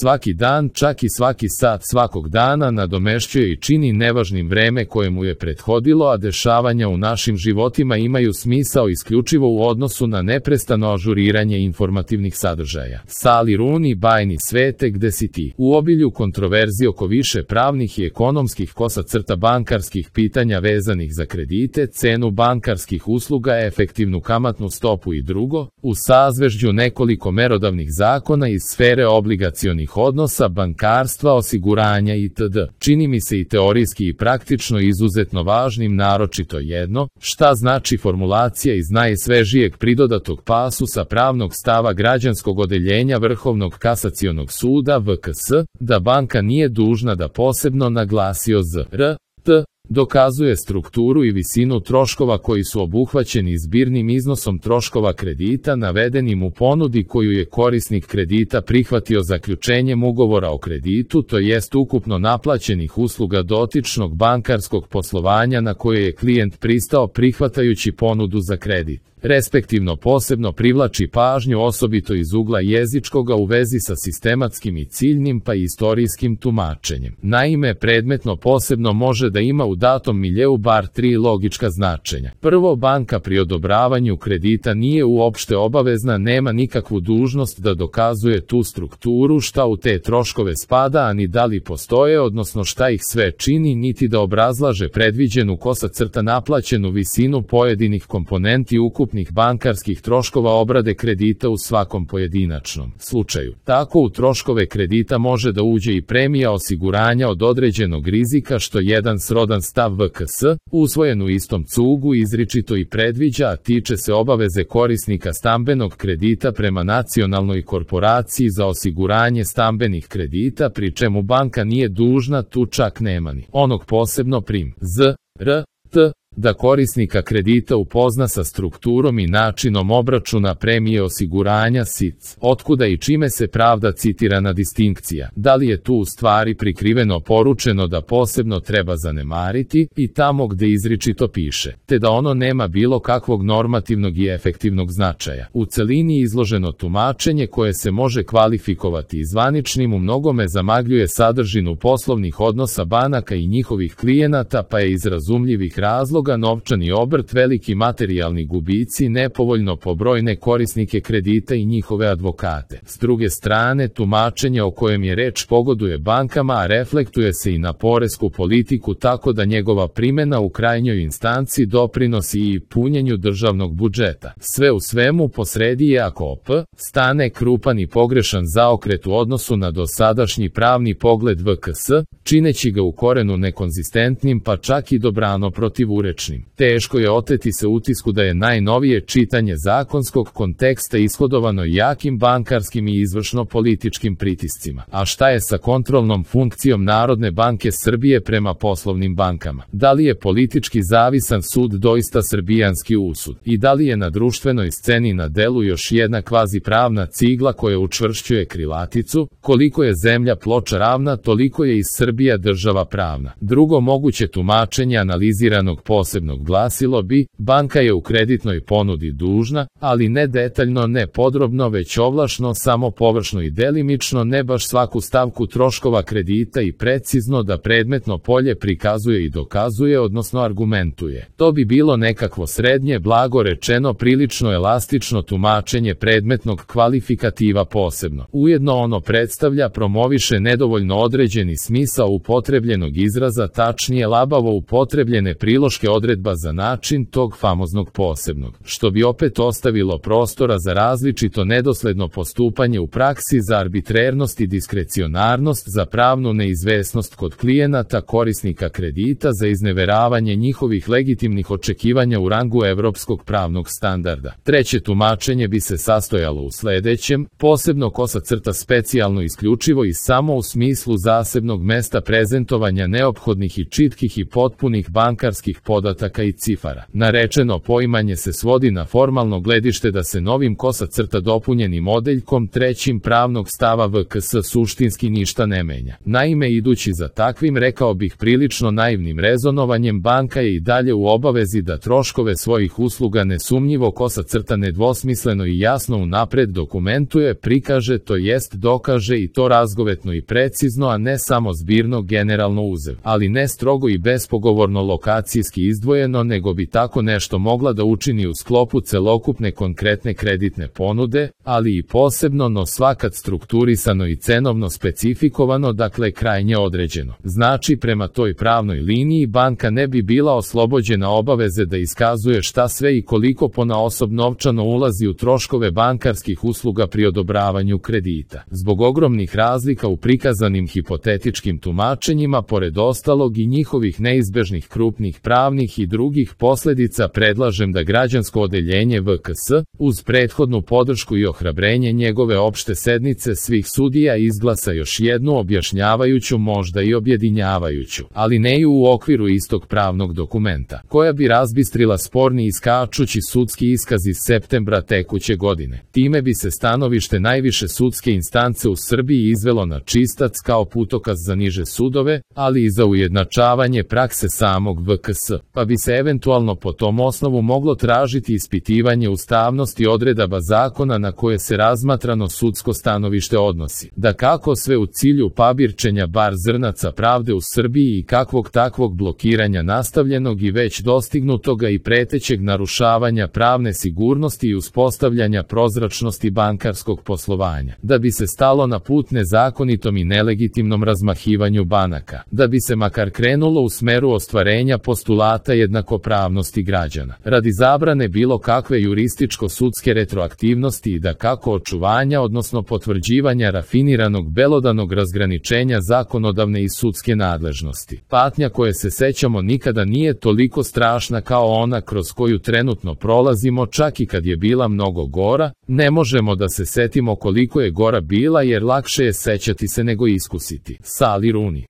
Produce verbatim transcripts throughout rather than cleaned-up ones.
Svaki dan, čak i svaki sat svakog dana nadomešćuje i čini nevažnim vreme koje mu je prethodilo, a dešavanja u našim životima imaju smisao isključivo u odnosu na neprestano ažuriranje informativnih sadržaja. Sali Rooney, bajni svete, gde si ti? U obilju kontroverzi oko više pravnih i ekonomskih kosa crta bankarskih pitanja vezanih za kredite, cenu bankarskih usluga, efektivnu kamatnu stopu i drugo, u sazvežđu nekoliko merodavnih zakona iz sfere obligacionih odnosa, bankarstva, osiguranja itd. Čini mi se i teorijski i praktično izuzetno važnim naročito jedno, šta znači formulacija iz najsvežijeg pridodatog pasusa pravnog stava građanskog odeljenja Vrhovnog kasacionog suda V K S, da banka nije dužna da posebno naglasio Z R T dokazuje strukturu i visinu troškova koji su obuhvaćeni zbirnim iznosom troškova kredita navedenim u ponudi koju je korisnik kredita prihvatio zaključenjem ugovora o kreditu, to jest ukupno naplaćenih usluga dotičnog bankarskog poslovanja na koje je klijent pristao prihvatajući ponudu za kredit. Respektivno posebno privlači pažnju osobito iz ugla jezičkoga u vezi sa sistematskim i ciljnim pa i istorijskim tumačenjem. Naime, predmetno posebno može da ima u datom miljeu bar tri logička značenja. Prvo, banka pri odobravanju kredita nije uopšte obavezna, nema nikakvu dužnost da dokazuje tu strukturu šta u te troškove spada, a ni da li postoje, odnosno šta ih sve čini, niti da obrazlaže predviđenu kosa crta naplaćenu visinu pojedinih komponenti ukupnih bankarskih troškova obrade kredita u svakom pojedinačnom slučaju. Tako u troškove kredita može da uđe i premija osiguranja od određenog rizika, što jedan srodan stav V K S, usvojen u istom cugu, izričito i predviđa, a tiče se obaveze korisnika stambenog kredita prema nacionalnoj korporaciji za osiguranje stambenih kredita, pri čemu banka nije dužna, tu čak nema ni onog posebno prim Z R T da korisnika kredita upozna sa strukturom i načinom obračuna premije osiguranja S I C. Otkuda i čime se pravda citirana distinkcija? Da li je tu u stvari prikriveno poručeno da posebno treba zanemariti i tamo gde izričito piše, te da ono nema bilo kakvog normativnog i efektivnog značaja? U celini izloženo tumačenje koje se može kvalifikovati zvaničnim u mnogome zamagljuje sadržinu poslovnih odnosa banaka i njihovih klijenata, pa je iz razumljivih razloga novčani obrt, veliki materijalni gubici, nepovoljno po brojne korisnike kredita i njihove advokate. S druge strane, tumačenje o kojem je reč pogoduje bankama, a reflektuje se i na poresku politiku, tako da njegova primena u krajnjoj instanci doprinosi i punjenju državnog budžeta. Sve u svemu, posredi je, ako op. stane krupan i pogrešan zaokret u odnosu na dosadašnji pravni pogled V K S, čineći ga u korenu nekonzistentnim pa čak i dobrano protivurečnim. Teško je oteti se utisku da je najnovije čitanje zakonskog konteksta ishodovano jakim bankarskim i izvršno-političkim pritiscima. A šta je sa kontrolnom funkcijom Narodne banke Srbije prema poslovnim bankama? Da li je politički zavisan sud doista srbijanski usud? I da li je na društvenoj sceni na delu još jedna kvazi pravna cigla koja učvršćuje krilaticu? Koliko je zemlja ploča ravna, toliko je i Srbija država pravna. Drugo moguće tumačenje analiziranog posebnog glasilo bi, banka je u kreditnoj ponudi dužna, ali ne detaljno, ne podrobno, već ovlašno, samo površno i delimično, ne baš svaku stavku troškova kredita i precizno da predmetno polje prikazuje i dokazuje, odnosno argumentuje. To bi bilo nekakvo srednje, blago rečeno prilično elastično tumačenje predmetnog kvalifikativa posebno. Ujedno ono predstavlja, promoviše nedovoljno određeni smisao upotrebljenog izraza, tačnije labavo upotrebljene priloške odredba za način tog famoznog posebnog, što bi opet ostavilo prostora za različito nedosledno postupanje u praksi, za arbitrernost i diskrecionarnost, za pravnu neizvesnost kod klijenata korisnika kredita, za izneveravanje njihovih legitimnih očekivanja u rangu evropskog pravnog standarda. Treće tumačenje bi se sastojalo u sledećem: posebno kosa crta specijalno isključivo i samo u smislu zasebnog mesta prezentovanja neophodnih i čitkih i potpunih bankarskih podataka podataka i cifara. Narečeno poimanje se svodi na formalno gledište da se novim kosa crta dopunjenim odeljkom trećim pravnog stava V K S suštinski ništa ne menja. Naime, idući za takvim, rekao bih prilično naivnim rezonovanjem, banka je i dalje u obavezi da troškove svojih usluga nesumnjivo kosa crta nedvosmisleno i jasno unapred dokumentuje, prikaže, to jest dokaže, i to razgovetno i precizno, a ne samo zbirno generalno uzev, ali ne strogo i bespogovorno lokacijski izdvojeno, nego bi tako nešto mogla da učini u sklopu celokupne konkretne kreditne ponude, ali i posebno, no svakad strukturisano i cenovno specifikovano, dakle krajnje određeno. Znači, prema toj pravnoj liniji banka ne bi bila oslobođena obaveze da iskazuje šta sve i koliko ponaosob novčano ulazi u troškove bankarskih usluga pri odobravanju kredita. Zbog ogromnih razlika u prikazanim hipotetičkim tumačenjima, pored ostalog i njihovih neizbežnih krupnih pravnih i drugih posledica, predlažem da građansko odeljenje V K S, uz prethodnu podršku i ohrabrenje njegove opšte sednice svih sudija, izglasa još jednu objašnjavajuću, možda i objedinjavajuću, ali ne i u okviru istog pravnog dokumenta, koja bi razbistrila sporni iskačući sudski iskaz iz septembra tekuće godine. Time bi se stanovište najviše sudske instance u Srbiji izvelo na čistac kao putokaz za niže sudove, ali i za ujednačavanje prakse samog V K S, pa bi se eventualno po tom osnovu moglo tražiti ispitivanje ustavnosti odredaba zakona na koje se razmatrano sudsko stanovište odnosi. Da kako sve u cilju pabirčenja bar zrnaca pravde u Srbiji i kakvog takvog blokiranja nastavljenog i već dostignutoga i pretećeg narušavanja pravne sigurnosti i uspostavljanja prozračnosti bankarskog poslovanja. Da bi se stalo na put nezakonitom i nelegitimnom razmahivanju banaka. Da bi se makar krenulo u smeru ostvarenja postulata jednakopravnosti građana. Radi zabrane bilo kakve jurističko-sudske retroaktivnosti i da kako očuvanja, odnosno potvrđivanja rafiniranog belodanog razgraničenja zakonodavne i sudske nadležnosti. Patnja koje se sećamo nikada nije toliko strašna kao ona kroz koju trenutno prolazimo, čak i kad je bila mnogo gora. Ne možemo da se setimo koliko je gora bila, jer lakše je sećati se nego iskusiti. Sali Runi.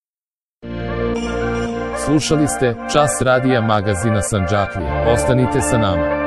Slušali ste Čas radija magazina Sandžaklija. Ostanite sa nama.